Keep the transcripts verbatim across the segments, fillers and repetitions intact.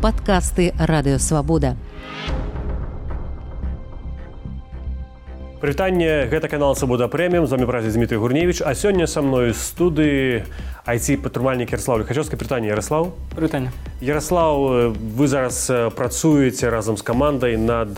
Падкасты Радыёвабода. Прывітанне, гэта канал Свабода Прэміум, з вами працуе Дмітрий Гурневіч, а сёння са мною з студыі ай ти-падтрымальнік Яраслаў Ліхачёўскі. Прывітанне, Яраслаў. Прывітанне. Яраслаў, вы зараз працуеце разам з камандай над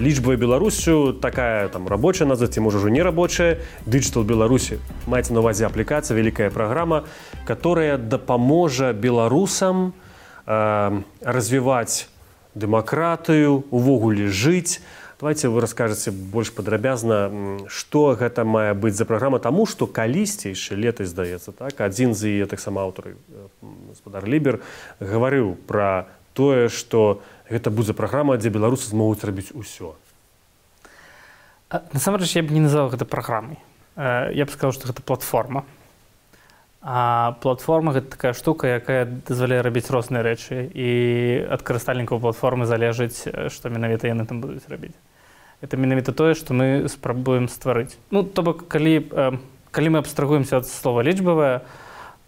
лічбай Беларусю, такая там рабочая назва, ці можа ўжо не рабочая, Digital Беларусі. Маеце на увазе аплікацыя, вялікая праграма, которая дапаможа беларусам э, развіваць дэмакратыю, увогуле жыць. Давайте вы раскажаце больш падрабязна, што гэта мае быць за праграма, таму што калісьці яшчэ летась, здаецца, так, адзін з яе таксама аўтар, гаспадар Лібер, гаварыў пра тое, што гэта будзе праграма, дзе беларусы змогуць рабіць усё. Насамрэч, я б не называў гэта праграмай. Я б сказаў, што гэта платформа. А платформа – гэта такая штука, якая дазваляе рабіць розныя рэчы, і ад карыстальнікаў платформы залежыць, што менавіта яны там будуць рабіць. Это менавіта тое, што мы спрабуем стварыць. Ну, то бок, калі, калі мы абстрагуемся ад слова лічбавая,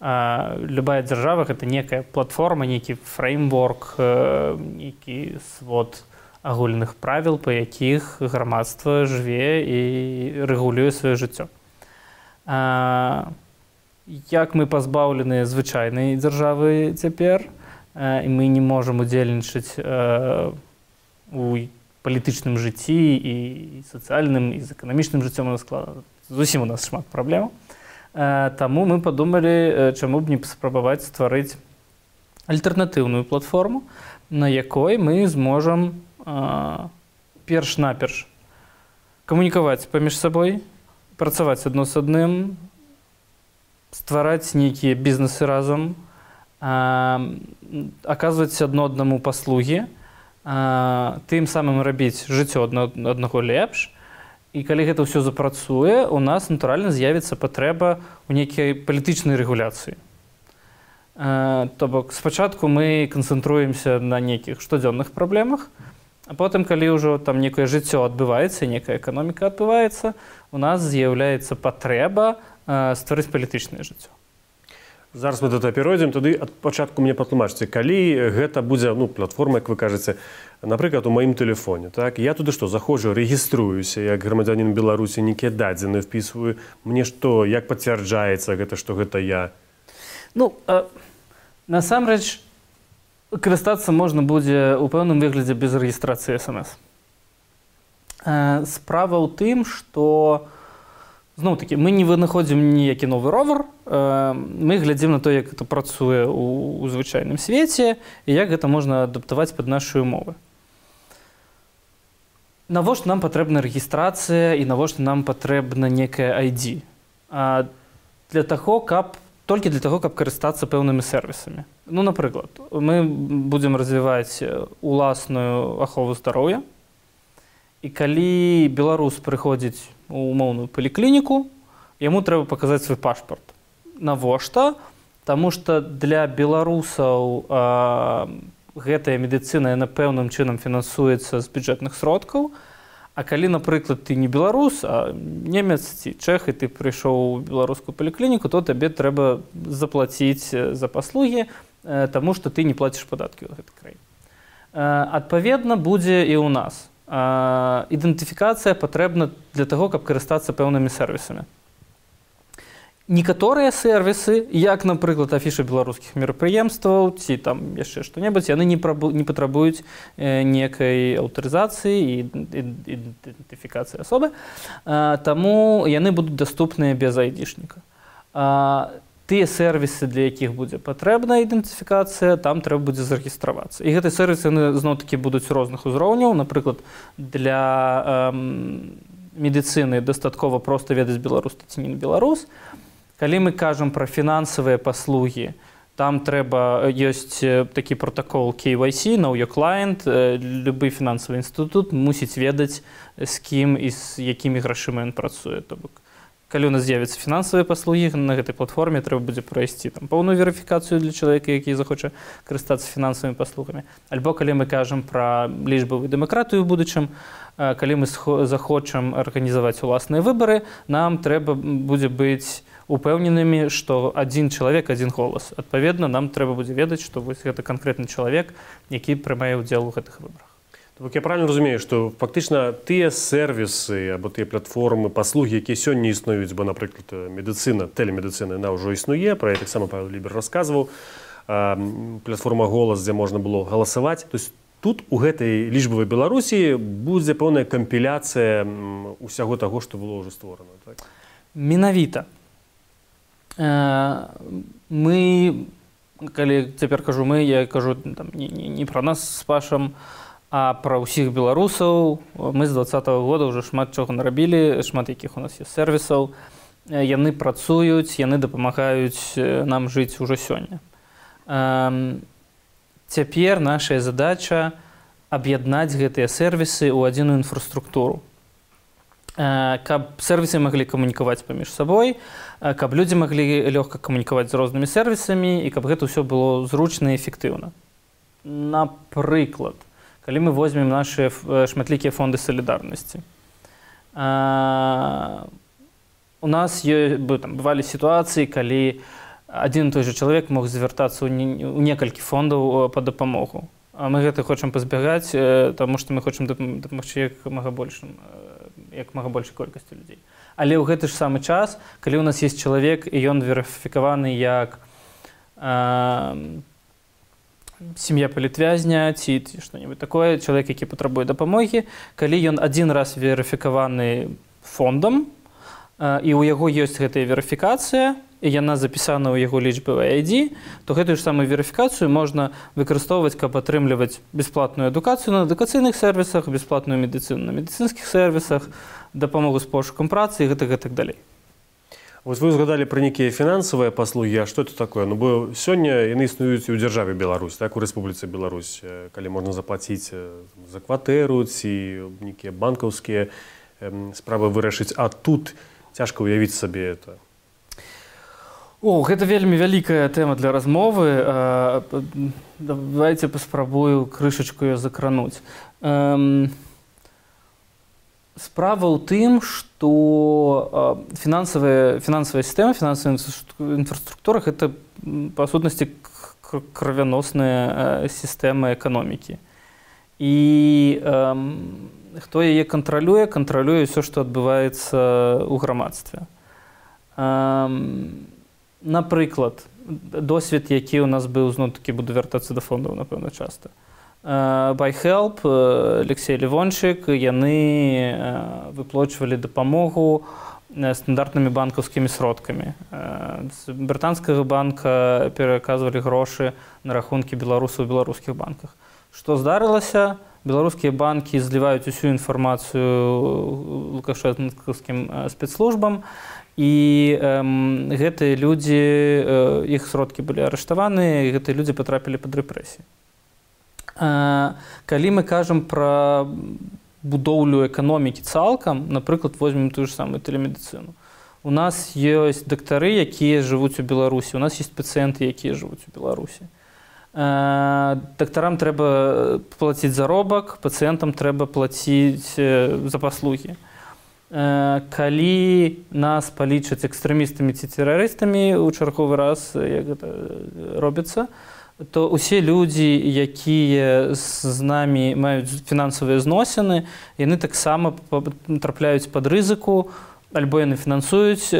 любая дзяржава – гэта некая платформа, нейкі фреймворк, нейкі свод агульных правіл, па якіх грамадства жыве і рэгулюе сваё жыццё. Як мы пазбаўлены звычайнай дзяржавы цяпер, і мы не можам удзельнічаць у палітычным жыцці і сацыяльным, і з эканамічным жыццём у нас складана. Зусім у нас шмат праблем. Таму мы падумалі, чаму б не спрабаваць стварыць альтэрнатыўную платформу, на якой мы зможам перш-наперш камунікаваць паміж сабой, працаваць адно з адным, ствараць нейкія бізнесы разам, аказваць адно аднаму паслугі, тым самым рабіць жыццё аднаго лепш. І калі гэта ўсё запрацуе, у нас натуральна з'явіцца патрэба ў нейкай палітычнай рэгуляцыі. То бок, спачатку мы канцэнтруемся на нейкіх штодзённых праблемах, а потым, калі ўжо там некае жыццё адбываецца, некая эканоміка адбываецца, у нас з'яўляецца патрэба стварыць палітычнае жыццё. Зараз мы да таго перайдзем, тады ад пачатку мне патлумачце, калі гэта будзе, ну, платформа, як вы кажаце, напрыклад, у маім тэлефоне, так, я туды што, заходжу, рэгіструюся, як грамадзянін Беларусі, нейкія дадзены впісваю, мне што, як пацвярджаецца гэта, што гэта я? Ну, а, насамрэч, карыстацца можна будзе ў пэўным выглядзе без рэгістрацыі эс эм эс. А, справа ў тым, што зноў-такі, мы не вынаходзім ніякі новы ровар, мы глядзім на то, як гэта працуе ў звычайным свеце і як гэта можна адаптаваць пад нашы умовы. Навошта нам патрэбна рэгістрацыя і навошта нам патрэбна некая ай ді? Для таго, каб, толькі для таго, каб карыстацца пэўнымі сервісамі. Ну, напрыклад, мы будзем развіваць уласную ахову здароўя, і калі беларус прыходзіць у умоўную паліклініку, яму трэба паказаць свой пашпарт. Навошта? Таму што для беларусаў а, гэтая медыцына яна пэўным чынам фінансуецца з бюджэтных сродкаў, а калі, напрыклад, ты не беларус, а немец ці чэх, і ты прыйшоў у беларускую паліклініку, то табе трэба заплаціць за паслугі, таму што ты не плаціш падаткі ў гэтай краіне. Адпаведна, будзе і ў нас. Ідэнтыфікацыя патрэбна для таго, каб карыстацца пэўнымі сервісамі. Некаторыя сервісы, як, напрыклад, афіша беларускіх мерапрыемстваў ці там яшчэ што-небудзь, яны не, прабу, не патрабуюць э, некай аўтарызацыі і ідэнтыфікацыі асобы, а, таму яны будуць даступныя без айдішніка. А, тыя сервісы, для якіх будзе патрэбная ідэнтыфікацыя, там трэба будзе зарэгістравацца. І гэтыя сервісы зноў-такі будуць розных узроўняў. Напрыклад, для эм, медыцыны дастаткова проста ведаць беларус ці не беларус. Калі мы кажам пра фінансавыя паслугі, там трэба, ёсць такі пратакол кей вай сі, Know Your Client, любы фінансавы інстытут мусіць ведаць, з кім і з якімі грашыма ён працуе. То бок, калі у нас з'явяцца фінансавыя паслугі, на гэтай платформе трэба будзе прайсці там поўную верыфікацыю для чалавека, які захоча карыстацца фінансавымі паслугамі. Альбо калі мы кажам пра лічбавую дэмакратыю ў будучым, калі мы захочам арганізаваць уласныя выбары, нам трэба будзе быць упэўненымі, што адзін чалавек, адзін голас. Адпаведна, нам трэба будзе ведаць, што вось гэта канкрэтны чалавек, які прымае ўдзел у гэтых выбарах. Так я правильно разумею, што фактычна тыя сервісы або тыя платформы, паслугі, якія сёння існуюць, бо, напрыклад, медыцына, тэлемедыцына, яна ўжо існуе, пра яе таксама Павел Лібер расказваў, платформа «Голас», дзе можна было галасаваць. То есть тут у гэтай лічбавай Беларусі будзе пэўная кампіляцыя усяго таго, што было ўжо створана. Так? Менавіта. Мы, калі цяпер кажу мы, я кажу там, не, не, не пра нас з Пашам, а пра ўсіх беларусаў. Мы з двадцатага года ўжо шмат чаго нарабілі, шмат якіх у нас ёсць сервісаў. Яны працуюць, яны дапамагаюць нам жыць ужо сёння. Цяпер наша задача аб'яднаць гэтыя сервісы ў адзіную інфраструктуру. Каб сервісы маглі камунікаваць паміж сабой, каб людзі маглі лёгка камунікаваць з рознымі сервісамі і каб гэта ўсё было зручна і эфектыўна. Напрыклад, калі мы возьмем нашыя шматлікія фонды салідарнасці. У нас бывалі сітуацыі, калі адзін і той жа чалавек мог звяртацца ў некалькі фондаў па дапамогу. А мы гэта хочам пазбягаць, таму што мы хочам дапамагчы як мага большым, як мага большай колькасці людзей. Але ў гэты ж самы час, калі ў нас ёсць чалавек і ён верыфікаваны як сям'я палітвязня ці што-небудзь такое, чалавек, які патрабуе дапамогі, калі ён адзін раз верыфікаваны фондам, і ў яго ёсць гэтая верыфікацыя, і яна запісана ў яго лічбавай ай ді, то гэтую ж самую верыфікацыю можна выкарыстоўваць, каб атрымліваць бясплатную адукацыю на адукацыйных сервісах, бясплатную медыцыну на медыцынскіх сервісах, дапамогу з пошукам працы і гэтак, гэтак далей. Вось вы згадалі пра нейкія фінансавыя паслугі, а што это такое? Ну, бо сёння яны існуюць і ў дзяржаве Беларусь, так, у Рэспубліцы Беларусь, калі можна заплаціць за кватэру ці нейкія банкаўскія справы вырашыць, а тут цяжка ўявіць сабе это. О, гэта вельмі вялікая тэма для размовы. Давайце паспрабую крышачку яе закрануць. Справа ў тым, што фінансавая, фінансавая сістэма, фінансавая інфраструктура – гэта, па сутнасці, крывяносная сістэма эканомікі. І э, хто яе кантралюе, кантралюе ўсё, што адбываецца ў грамадстве. Э, напрыклад, досвед, які ў нас быў, зноў-такі буду вяртацца да фондаў, напэўна, часта. BuyHelp, Алексей Левончык, яны выплачвалі дапамогу стандартнымі банкаўскімі сродкамі. З брытанскага банка пераказвалі грошы на рахункі беларусаў у беларускіх банках. Што здарылася? Беларускія банкі зліваюць усю інфармацыю лукашэнкаўскім спецслужбам, і гэтыя людзі, іх сродкі былі арыштаваны, і гэтыя людзі патрапілі пад рэпрэсіі. Калі мы кажам пра будоўлю эканомікі цалкам, напрыклад, возьмем тую ж самую тэлемедыцыну. У нас ёсць дактары, якія жывуць у Беларусі, у нас ёсць пацыенты, якія жывуць у Беларусі. Дактарам трэба плаціць заробак, пацыентам трэба плаціць за паслугі. Калі нас палічаць экстрэмістамі ці тэрарыстамі ў чарговы раз, як гэта робіцца, то ўсе людзі, якія з намі маюць фінансавыя зносіны, яны таксама трапляюць пад рызыку, альбо яны фінансуюць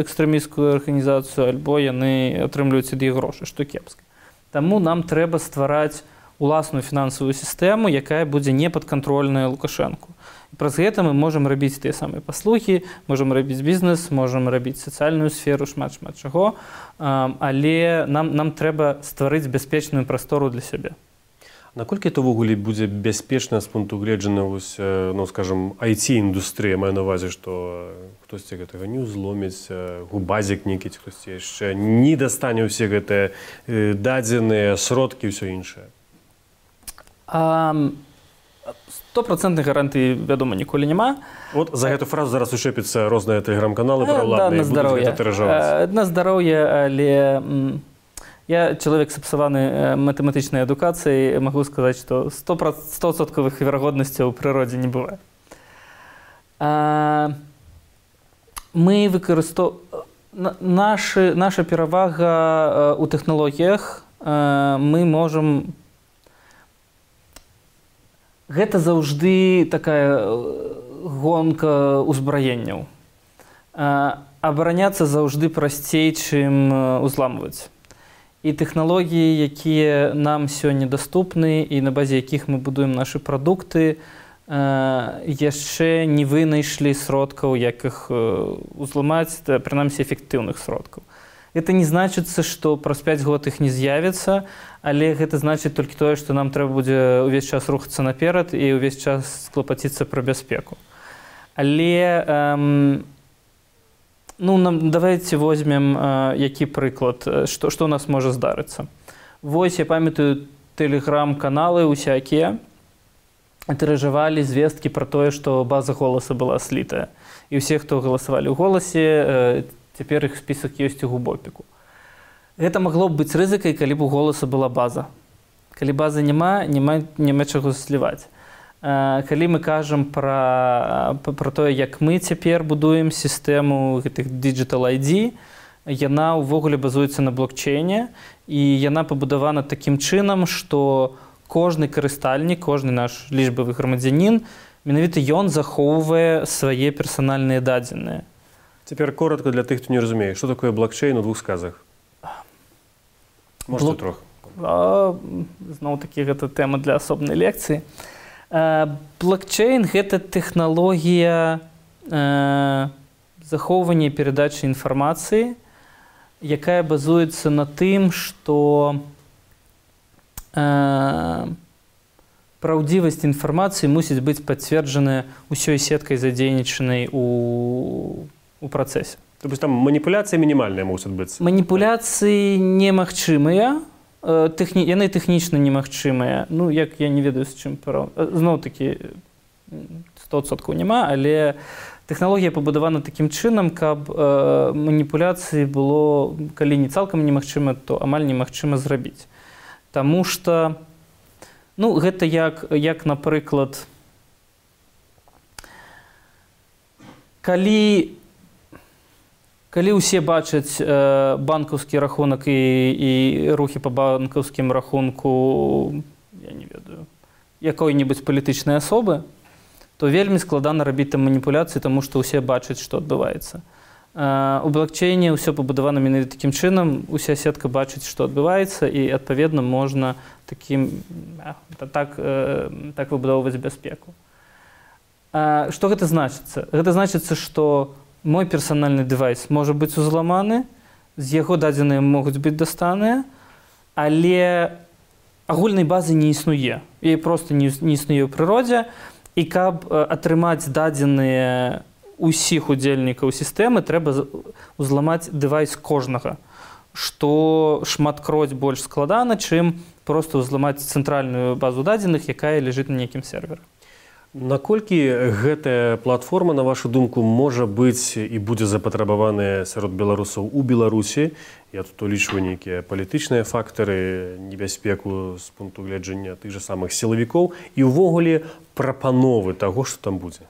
экстрэмісцкую арганізацыю, альбо яны атрымліваюць ад іх грошы, што кепска. Таму нам трэба ствараць уласную фінансавую сістэму, якая будзе непадкантрольная Лукашэнку. Праз гэта мы можам рабіць тыя самыя паслугі, можам рабіць бізнес, можам рабіць сацыяльную сферу, шмат-шмат чаго, але нам, нам трэба стварыць бяспечную прастору для сябе. Наколькі это ўвогуле будзе бяспечна з пункту гледжання, ну, скажам, ай ти-індустрыя, маю на ўвазе, што хтосьці гэтага не ўзломіць, губазік нейкі, хтосьці яшчэ не дастане ўсе гэтыя дадзеныя сродкі і ўсё іншае? Стопроцентных гарантый, вядома, ніколі няма. Вот за гэту фразу зараз ушэпіцца розныя тэлеграм-каналы праваладныя, будуць гэта тыражаваць. На здароўе, але я чалавек сапсаваны матэматычнай адукацыяй, магу сказаць, што сто адсоткавых верагоднасцяў у прыродзе не бывае. Мы выкарыстоўваем... Наша, наша перавага ў тэхналогіях, мы можам... Гэта заўжды такая гонка ўзбраенняў. Абараняцца заўжды прасцей, чым узламваць. І тэхналогіі, якія нам сёння даступны і на базе якіх мы будуем нашы прадукты, яшчэ не вынайшлі сродкаў, як іх узламаць, прынамсі эфектыўных сродкаў. Гэта не значыцца, што праз пяць год іх не з'явіцца, але гэта значыць толькі тое, што нам трэба будзе ўвесь час рухацца наперад і ўвесь час клапаціцца пра бяспеку. Але эм, ну, нам, давайте возьмем э, які прыклад, што, што ў нас можа здарыцца. Вось я памятаю тэлеграм-каналы усякія, тыражавалі звесткі пра тое, што база голаса была слітая. І ўсе, хто галасавалі ў голасе, цяпер іх спісак ёсць у губопіку. Гэта магло б быць рызыкай, калі б у голаса была база. Калі базы няма, няма, няма чаго сліваць. Калі мы кажам пра, пра тое, як мы цяпер будуем сістэму гэтых Digital ай ді, яна ўвогуле базуецца на блокчейне, і яна пабудавана такім чынам, што кожны карыстальнік, кожны наш лічбавы грамадзянін, менавіта ён захоўвае свае персанальныя дадзеныя. Цяпер коротка для тых, хто не разумее, што такое блокчейн у двух сказах? Можете Блок... трох. Зноў-такі гэта тэма для асобнай лекцыі. Блокчейн – гэта тэхналогія захоўвання і перадачы інфармацыі, якая базуецца на тым, што праўдзівасць інфармацыі мусіць быць пацверджаная ўсёй сеткай задзейнічанай у, у працэсе. То есть там маніпуляцыі мінімальныя мусяць быць? Маніпуляцыі немагчымыя, тэхні... яны тэхнічна немагчымыя. Ну, як я не ведаю, з чым параў... Зноў-такі сто адсоткаў няма, але тэхналогія пабудавана такім чынам, каб э, маніпуляцыі было, калі не цалкам немагчыма, то амаль немагчыма зрабіць. Таму што, ну, гэта як, як напрыклад, калі, калі ўсе бачаць э, банкаўскі рахунак і, і рухі па банкаўскім рахунку, я не ведаю, якой-небудзь палітычнай асобы, то вельмі складана рабіць там маніпуляцыі, таму што ўсе бачаць, што адбываецца. У блокчейне ўсё пабудавана менавіта такім чынам, уся сетка бачыць, што адбываецца, і, адпаведна, можна такім, так, так выбудоўваць бяспеку. Што гэта значыцца? Гэта значыцца, што мой персанальны дэвайс можа быць узламаны, з яго дадзеныя могуць быць дастаныя, але агульнай базы не існуе. Яе проста не існуе ў прыродзе, і каб атрымаць дадзеныя усіх удзельнікаў сістэмы, трэба узламаць дэвайс кожнага, што шматкроць больш складана, чым проста ўзламаць цэнтральную базу дадзеных, якая ляжыць на нейкім серверы. Наколькі гэтая платформа, на вашу думку, можа быць і будзе запатрабаваная сярод беларусаў у Беларусі? Я тут улічваю нейкія палітычныя фактары, небяспеку з пункту гледжання тых жа самых сілавікоў і ўвогуле прапановы таго, што там будзе.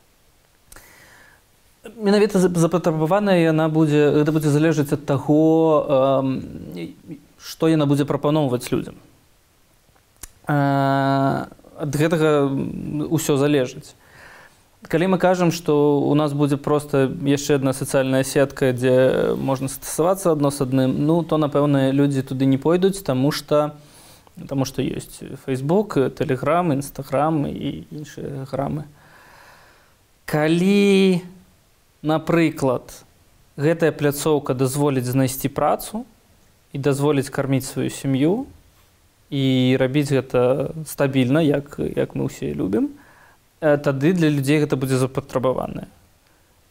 Менавіта запатрабаваная яна будзе, гэта будзе залежаць ад таго, што яна будзе прапаноўваць людзям. Ад гэтага ўсё залежыць. Калі мы кажам, што у нас будзе проста яшчэ адна сацыяльная сетка, дзе можна стасавацца адно з адным, ну, то, напэўна, людзі туды не пойдуць, таму што, таму што ёсць Facebook, Telegram, Instagram і іншыя грамы. Калі, напрыклад, гэтая пляцоўка дазволіць знайсці працу і дазволіць карміць сваю сям'ю і рабіць гэта стабільна, як, як мы ўсе любім, тады для людзей гэта будзе запатрабаванае.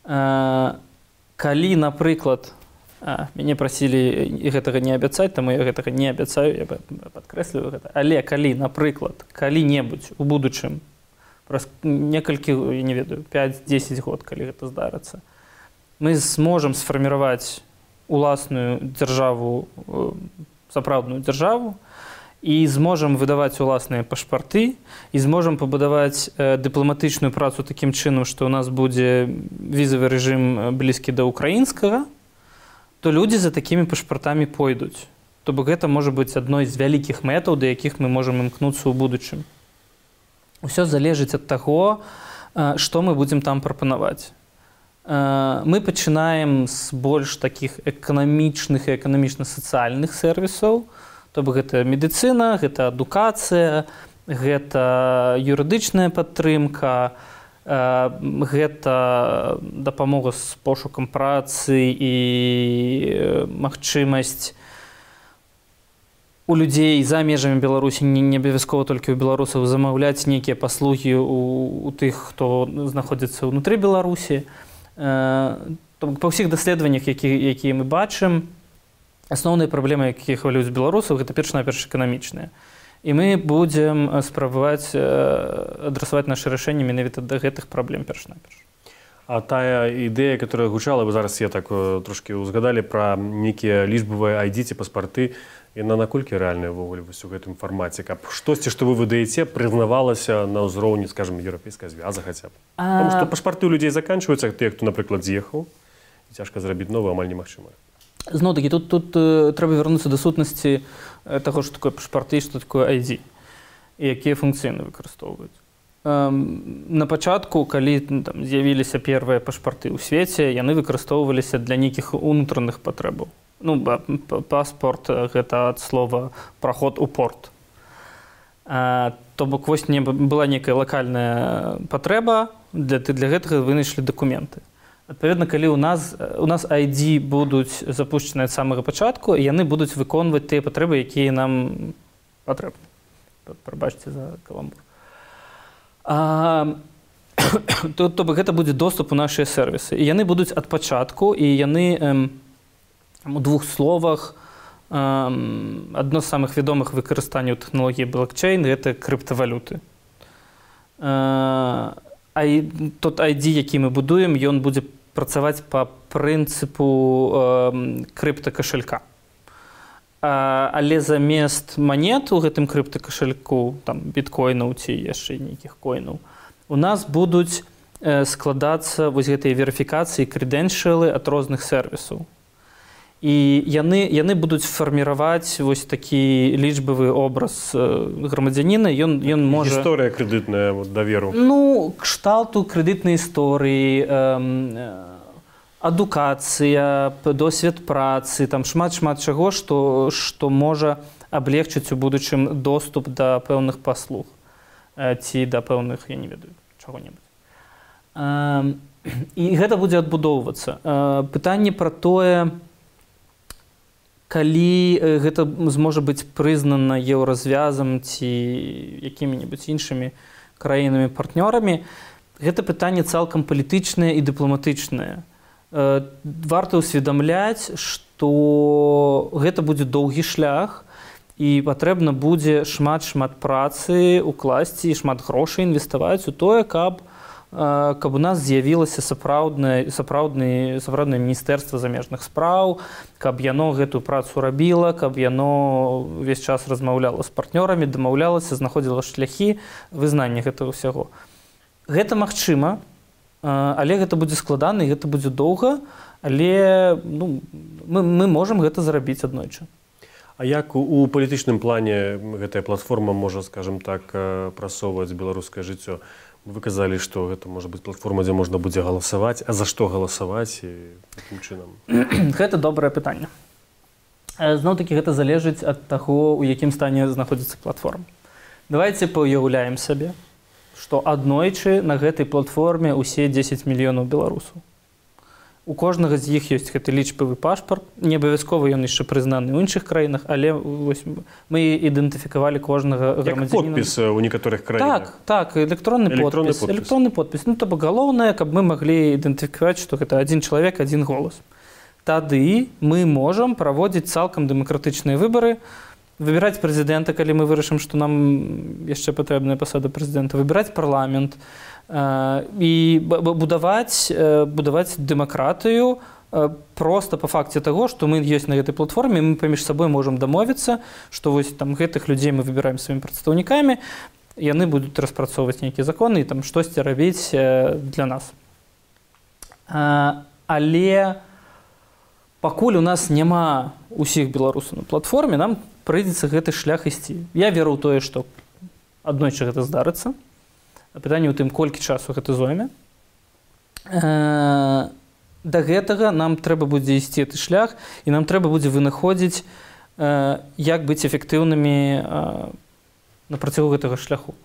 Калі, напрыклад, а, мяне прасілі гэтага не абяцаць, таму я гэтага не абяцаю, я падкрэсліваю гэта, але калі, напрыклад, калі-небудзь у будучым, праз некалькі, не ведаю, пяць-дзесяць год, калі гэта здарыцца, мы зможам сфарміраваць уласную дзяржаву, сапраўдную дзяржаву, і зможам выдаваць уласныя пашпарты, і зможам пабудаваць э, дыпламатычную працу такім чынам, што ў нас будзе візавы рэжым блізкі да ўкраінскага, то людзі за такімі пашпартамі пойдуць. То бок гэта можа быць адной з вялікіх мэтаў, да якіх мы можам імкнуцца ў будучым. Усё залежыць ад таго, што мы будзем там прапанаваць. Мы пачынаем з больш такіх эканамічных і эканамічна-сацыяльных сервісаў, то бок гэта медыцына, гэта адукацыя, гэта юрыдычная падтрымка, гэта дапамога з пошукам працы і магчымасць у людзей за межамі Беларусі, не абавязкова толькі ў беларусаў, замаўляць нейкія паслугі у, у тых, хто знаходзіцца ўнутры Беларусі. Па ўсіх даследаваннях, якія, якія мы бачым, асноўныя праблемы, якія хвалююць беларусаў, гэта перш-наперш эканамічныя. І мы будзем спрабаваць адрасаваць нашы рашэнні менавіта да гэтых праблем перш-наперш. А тая ідэя, которая гучала, вы зараз я так трошки узгадалі пра нейкія лічбавыя ай ді ці паспарты, яна наколькі рэальная ўвогуле вось у гэтым фармаце, каб штосьці, што вы выдаеце, прызнавалася на ўзроўні, скажем, еўрапейскай звяза хаця б. А... Потому што пашпарты ў людзей заканчваюцца, тыя, хто, напрыклад, з'ехаў, і цяжка зрабіць новы, амаль немагчыма. Зноў-такі, тут, тут э, трэба вярнуцца да сутнасці э, таго, што такое пашпарты, што такое ай ді, і якія функцыі выкарыстоўваюць. Эм, на пачатку, калі там з'явіліся першыя пашпарты ў свеце, яны выкарыстоўваліся для нейкіх унутраных патрэбаў. Ну, паспорт – гэта ад слова праход у порт. А, то бок вось не была нейкая лакальная патрэба, для, для гэтага вынайшлі дакументы. Адпаведна, калі ў нас, у нас ай ді будуць запушчаныя ад самага пачатку, яны будуць выконваць тыя патрэбы, якія нам патрэбны. Прабачце за каламбур. А, то, то бок гэта будзе доступ у нашыя сервісы. І яны будуць ад пачатку, і яны... Эм, у двух словах, адно з самых вядомых выкарыстанняў тэхналогіі блокчейн – гэта крыптавалюты. Тот ай ді, які мы будуем, ён будзе працаваць па прынцыпу крыптакашалька. Але замест манет у гэтым крыптакашальку, там, біткоінаў ці яшчэ нейкіх коінаў, у нас будуць складацца вось гэтыя верыфікацыі, крэдэншыялы ад розных сервісаў. І яны, яны будуць фарміраваць вось такі лічбавы образ грамадзяніна. Ён, ён можа... Гісторыя крэдытная, вот, даверу. Ну, кшталту крэдытнай історыі, эм, адукацыя, досвед працы, там шмат-шмат чаго, што, што можа аблегчыць у будучым доступ да пэўных паслуг ці да пэўных, я не ведаю, чаго-небудзь. Эм, і гэта будзе адбудоўвацца. Э, пытанне пра тое, калі гэта зможа быць прызнана еўразвязам ці якімі-небудзь іншымі краінамі-партнёрамі, гэта пытанне цалкам палітычнае і дыпламатычнае. Варта ўсведамляць, што гэта будзе доўгі шлях і патрэбна будзе шмат-шмат працы укласці і шмат грошай інвеставаць у тое, каб каб у нас з'явілася сапраўднае сапраўднае сапраўднае міністэрства замежных спраў, каб яно гэтую працу рабіла, каб яно ўвесь час размаўляла з партнёрамі, дамаўлялася, знаходзіла шляхі вызнання гэтага ўсяго. Гэта магчыма, але гэта будзе складана і гэта будзе доўга, але ну, мы, мы можам гэта зрабіць аднойчы. А як у, у палітычным плане гэтая платформа можа, скажем так, прасоўваць беларускае жыццё? Вы казалі, што гэта можа быць платформа, дзе можна будзе галасаваць, а за што галасаваць і такім чынам? Гэта добрае пытанне. Зноў-такі гэта залежыць ад таго, у якім стане знаходзіцца платформа. Давайце паўяўляем сабе, што аднойчы на гэтай платформе ўсе дзесяць мільёнаў беларусаў. У кожнага з іх ёсць гэты лічбавы пашпарт, не абавязкова ён яшчэ прызнаны ў іншых краінах, але вось, мы ідэнтыфікавалі кожнага грамадзяніна. Як подпіс у некаторых краінах. Так, так, электронны, электронны подпіс. подпіс. Электронны подпіс. Ну, то бок галоўнае, каб мы маглі ідэнтыфікаваць, што гэта адзін чалавек, адзін голас. Тады мы можам праводзіць цалкам дэмакратычныя выбары, выбіраць прэзідэнта, калі мы вырашым, што нам яшчэ патрэбная пасада прэзідэнта, выбіраць парламент, і будаваць, будаваць дэмакратыю проста па факце таго, што мы ёсць на гэтай платформе, мы паміж сабой можам дамовіцца, што вось там гэтых людзей мы выбіраем сваімі прадстаўнікамі, яны будуць распрацоўваць нейкія законы і там штосьці рабіць для нас. Але пакуль у нас няма усіх беларусаў на платформе, нам прыйдзецца гэты шлях ісці. Я веру ў тое, што аднойчы гэта здарыцца. Пытанне ў тым, колькі часу гэта зойме. Э, да гэтага нам трэба будзе ісці гэты шлях, і нам трэба будзе вынаходзіць, э, як быць эфектыўнымі э, на працягу гэтага шляху.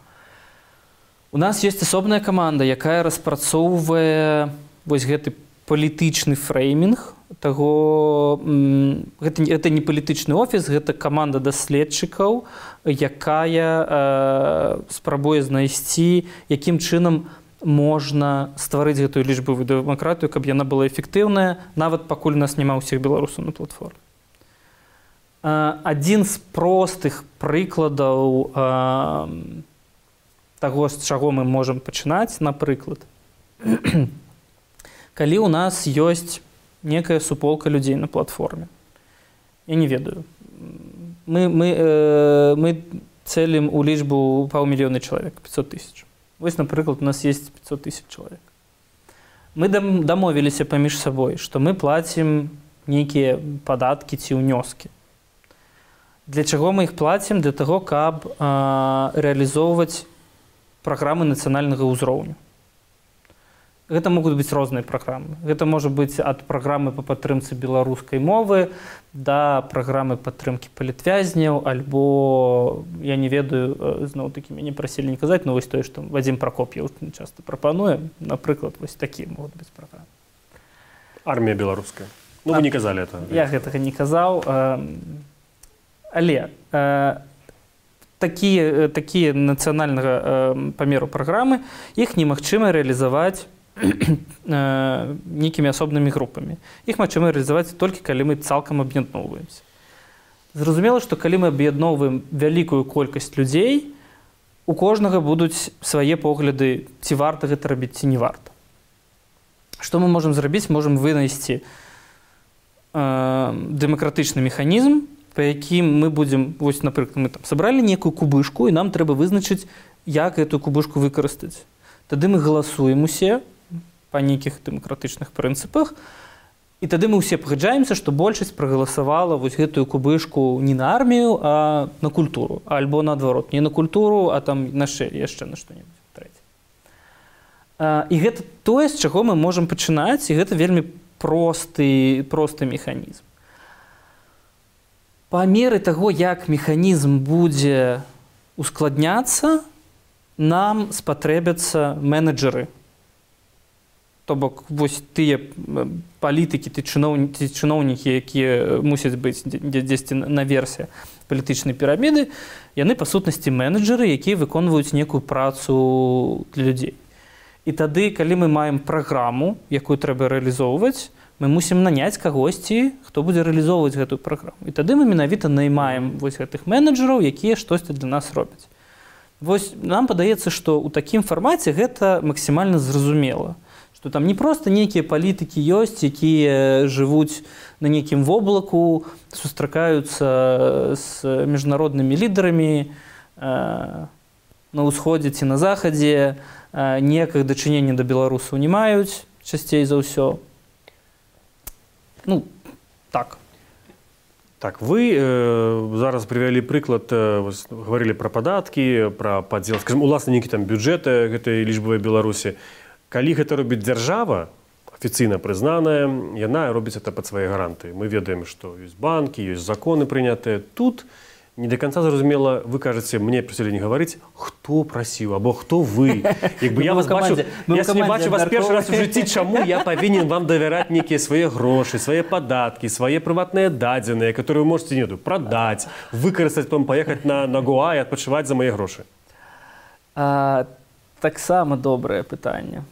У нас ёсць асобная каманда, якая распрацоўвае вось гэты палітычны фреймінг таго, гэта, гэта не палітычны офіс, гэта каманда даследчыкаў, якая э, спрабуе знайсці, якім чынам можна стварыць гэтую лічбавую дэмакратыю, каб яна была эфектыўная, нават пакуль у нас няма ўсіх беларусаў на платформе. Э, адзін з простых прыкладаў э, таго, з чаго мы можам пачынаць, напрыклад, калі ў нас ёсць некая суполка людзей на платформе. Я не ведаю. Мы, мы, э, мы цэлім у лічбу паўмільёна чалавек, пятьсот тысяч. Вось, напрыклад, у нас есть пятьсот тысяч чалавек. Мы дам, дамовіліся паміж сабой, што мы плацім нейкія падаткі ці ўнёскі. Для чаго мы іх плацім? Для таго, каб э, рэалізоўваць праграмы нацыянальнага ўзроўню. Гэта могуць быць розныя праграмы. Гэта можа быць ад праграмы па падтрымцы беларускай мовы да праграмы падтрымкі палітвязняў, альбо, я не ведаю, зноў-такі мяне прасілі не казаць, но вось тое, што Вадзім Пракоп'еў часта прапануе, напрыклад, вось такія могуць быць праграмы. Армія беларуская. Ну, вы не казалі это. Я гэтага не казаў. Але такія, такія нацыянальнага памеру праграмы, іх немагчыма рэалізаваць нейкімі асобнымі групамі. Іх магчыма рэалізаваць толькі, калі мы цалкам аб'ядноўваемся. Зразумела, што калі мы аб'ядноўваем вялікую колькасць людзей, у кожнага будуць свае погляды, ці варта гэта рабіць, ці не варта. Што мы можам зрабіць? Можам вынайсці э, дэмакратычны механізм, па якім мы будзем, вось, напрыклад, мы там сабралі некую кубышку, і нам трэба вызначыць, як гэтую кубышку выкарыстаць. Тады мы галасуем усе па нейкіх дэмакратычных прынцыпах, і тады мы ўсе пагаджаемся, што большасць прагаласавала вось гэтую кубышку не на армію, а на культуру, альбо наадварот, не на культуру, а там на ше, яшчэ на што-небудзь трэцяе. І гэта тое, з чаго мы можам пачынаць, і гэта вельмі просты, просты механізм. Па меры таго, як механізм будзе ускладняцца, нам спатрэбяцца менеджеры. То бок, вось тыя палітыкі, ці чыноўнікі, чыноўнікі, якія мусяць быць дзесьці наверсе палітычнай піраміды, яны, па сутнасці, менеджеры, якія выконваюць некую працу для людзей. І тады, калі мы маем праграму, якую трэба рэалізоўваць, мы мусім наняць кагосьці, хто будзе рэалізоўваць гэтую праграму. І тады мы менавіта наймаем вось гэтых менеджераў, якія штосьці для нас робяць. Вось нам падаецца, што ў такім фармаце гэта максімальна зразумела. Што там не проста нейкія палітыкі ёсць, якія жывуць на нейкім воблаку, сустракаюцца з міжнароднымі лідарамі э, на ўсходзе ці на захадзе, э, ніякага дачынення да беларусаў не маюць, часцей за ўсё. Ну, так. Так, вы э, зараз привялі прыклад, э, гаварылі пра падаткі, пра падзел, скажем, уласна нейкі там бюджэты гэтай лічбавай Беларусі. Калі гэта робіць дзяржава, афіцыйна прызнаная, яна робіць это пад свае гаранты. Мы ведаем, што ёсць банкі, ёсць законы прынятыя. Тут не до конца зразумела, вы кажаце, мне прасілі не гаварыць, хто прасіў, або хто вы. Як бы я вас бачу, я не бачу вас першы раз у жыцці, чаму я павінен вам давяраць нейкія свае грошы, свае падаткі, свае прыватныя дадзеныя, которые вы можете, не ведаю, прадаць, выкарыстаць, потом паехаць на, на Гоа і адпачываць за мае грошы. А, таксама добрае пытанне.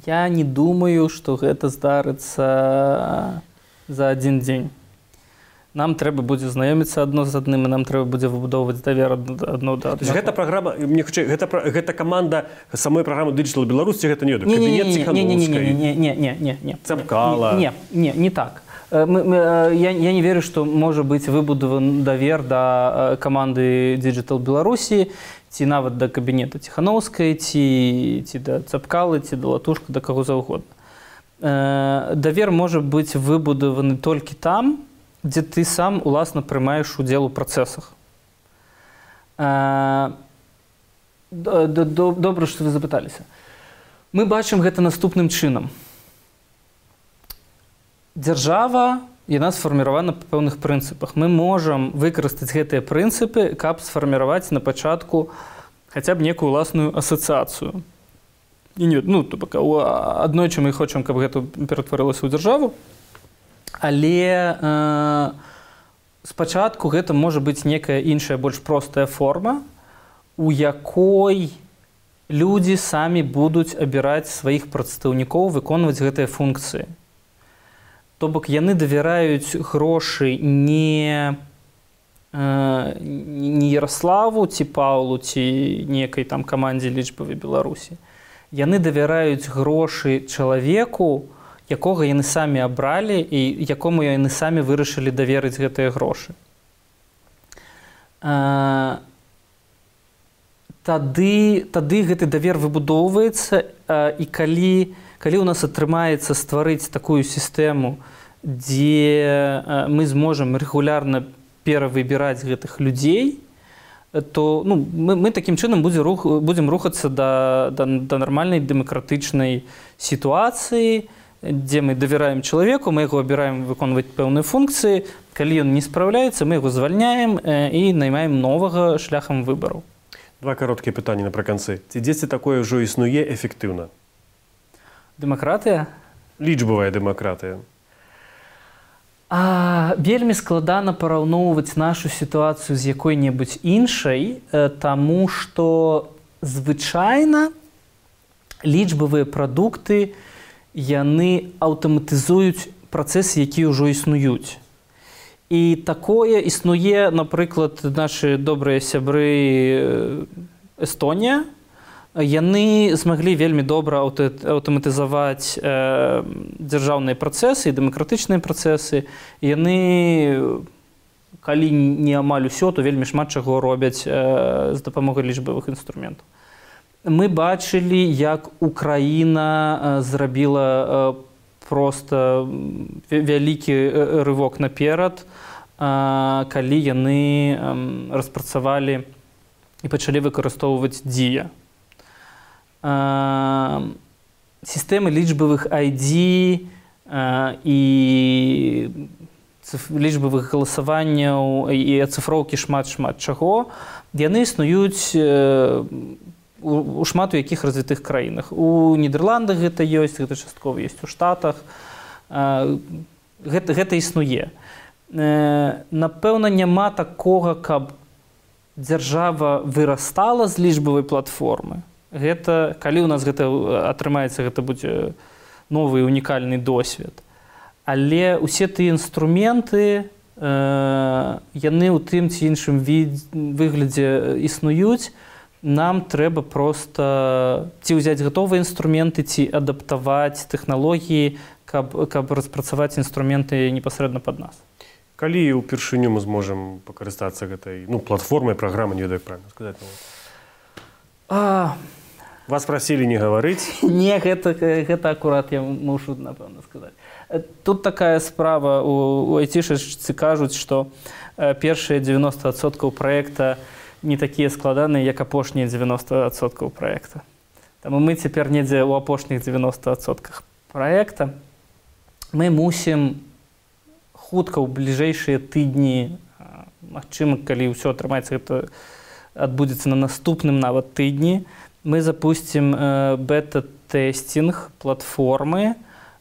Я не думаю, што гэта здарыцца за адзін дзень. Нам трэба будзе знаёміцца адно з адным, і нам трэба будзе выбудоўваць давер адно да аднаго. Гэта праграма, мне хутчэй, гэта, гэта каманда самой праграмы Digital Беларусь, ці гэта не ведаю, кабінет Ціхановскай? Не, не, не, не, не. Цапкала? Не, не, не так. Мы, мы, я, я не верю, што можа быць выбудаван давер да каманды Digital Беларусі, ці нават да кабінета Ціхановскай, ці, ці да Цапкалы, ці да Латушка, да каго заўгодна. Давер можа быць выбудаваны толькі там, дзе ты сам уласна прымаеш удзел у працэсах. Добра, што вы запыталіся. Мы бачым гэта наступным чынам. Дзяржава, яна сфарміравана па пэўных прынцыпах. Мы можам выкарыстаць гэтыя прынцыпы, каб сфарміраваць на пачатку хаця б некую ўласную асацыяцыю. І не, ну, аднойчы мы хочам, каб гэта ператварылася ў дзяржаву, але э, спачатку гэта можа быць некая іншая, больш простая форма, у якой людзі самі будуць абіраць сваіх прадстаўнікоў выконваць гэтыя функцыі. То бок яны давяраюць грошы не, э, не Ярославу ці Паўлу ці некай там камандзе лічбавай Беларусі. Яны давяраюць грошы чалавеку, якога яны самі абралі і якому яны самі вырашылі даверыць гэтыя грошы. А, тады, тады гэты давер выбудоўваецца, а, і калі, калі ў нас атрымаецца стварыць такую сістэму, дзе а, мы зможам рэгулярна перавыбіраць гэтых людзей, то ну, мы, мы такім чынам будзе рух, будзем рухацца да, да, да нармальнай дэмакратычнай сітуацыі, дзе мы давяраем чалавеку, мы яго абіраем выконваць пэўныя функцыі. Калі ён не спраўляецца, мы яго звальняем э, і наймаем новага шляхам выбараў. Два кароткія пытанні напрыканцы. Ці дзесьці такое ўжо існуе эфектыўна? Дэмакратыя? Лічбавая дэмакратыя. А, вельмі складана параўноўваць нашу сітуацыю з якой-небудзь іншай, таму што звычайна лічбавыя прадукты яны аўтаматызуюць працэсы, якія ўжо існуюць. І такое існуе, напрыклад, нашы добрыя сябры Эстонія. Яны змаглі вельмі добра аўтаматызаваць э, дзяржаўныя працэсы і дэмакратычныя працэсы. Яны, калі не амаль усё, то вельмі шмат чаго робяць э, з дапамогай лічбавых інструментаў. Мы бачылі, як Украіна э, зрабіла э, проста вялікі рывок наперад, э, калі яны э, распрацавалі і пачалі выкарыстоўваць дзія. Сістэмы лічбавых ай ді і лічбавых галасаванняў і ацыфроўкі шмат-шмат чаго, яны існуюць у шмат у якіх развітых краінах. У Нідерландах гэта ёсць, гэта часткова ёсць у Штатах. Гэта, гэта існуе. Напэўна, няма такога, каб дзяржава вырастала з лічбавай платформы. Гэта, калі ў нас гэта атрымаецца, гэта будзе новы унікальны досвед. Але ўсе тыя інструменты, э, яны ў тым ці іншым від, выглядзе існуюць. Нам трэба проста ці ўзяць гатовыя інструменты, ці адаптаваць тэхналогіі, каб, каб распрацаваць інструменты непасрэдна пад нас. Калі ўпершыню мы зможам пакарыстацца гэтай ну, платформай, праграмай, не ведаю, як правільна сказаць. А... Вас прасілі не гаварыць? Не, гэта, гэта акурат я мушу, напэўна, сказаць. Тут такая справа, у, у айцішачцы кажуць, што першыя дзевяноста адсоткаў праекта не такія складаныя, як апошнія дзевяноста адсоткаў праекта. Таму мы цяпер недзе ў апошніх дзевяноста адсотках праекта. Мы мусім хутка ў бліжэйшыя тыдні, магчыма, калі ўсё атрымаецца, гэта адбудзецца на наступным нават тыдні, мы запусцім э, бета-тэстинг платформы.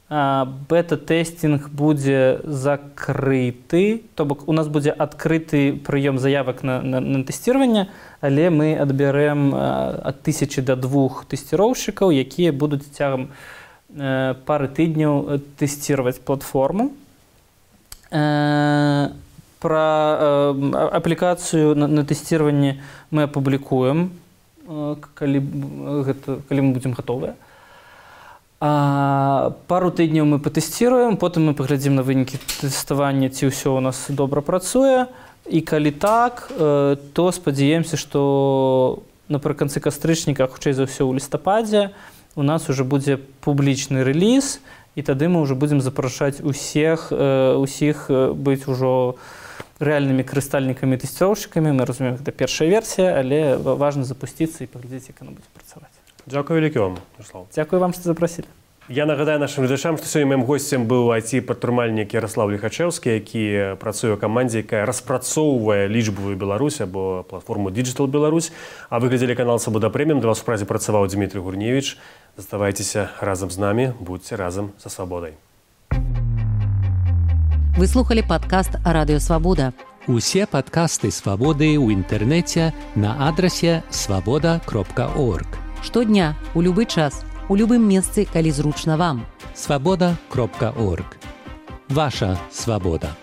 Э, бета-тэстинг будзе закрыты, то бок у нас будзе адкрыты прыём заявак на, на, на тэсціраванне, але мы адбярэм э, ад тысячы да двух тэсціроўшчыкаў, якія будуць цягам э, пары тыдняў тэсціраваць платформу. Э, пра э, аплікацыю на, на тэсціраванне мы апублікуем, Калі, гэта, калі мы будзем гатовыя. А, пару тыдняў мы патэсціруем, потым мы паглядзім на вынікі тэставання, ці ўсё ў нас добра працуе. І калі так, то спадзяемся, што напрыканцы кастрычніка, хутчэй за ўсё ў лістападзе, у нас ужо будзе публічны рэліз, і тады мы ўжо будзем запрашаць усіх, усіх быць ужо рэальнымі карыстальнікамі і тэсціроўшчыкамі. Мы разумеем, гэта першая версія, але важна запусціцца і паглядзець, як яна будзе працаваць. Дзякуй вялікі вам, Ярослав. Дзякуй вам, што запрасілі. Я нагадаю нашим глядачам, што сёння маім госцем быў ай ти-прадпрымальнік Ярослав Ліхачэўскі, які працуе ў камандзе, якая распрацоўвае лічбавую Беларусь або платформу Digital Беларусь. А вы глядзелі канал Свабода Прэміум. Для вас у празе працаваў Дмітрий Гурневіч. Заставайцеся разам з намі, будзьце разам са свабодай. Вы слухали падкаст Радыё Свабода. Усе падкасты Свабоды ў інтэрнэце на адрасе свабода кропка орг. Штодня, у любы час, у любым месцы, калі зручна вам. свабода кропка орг. Ваша свабода.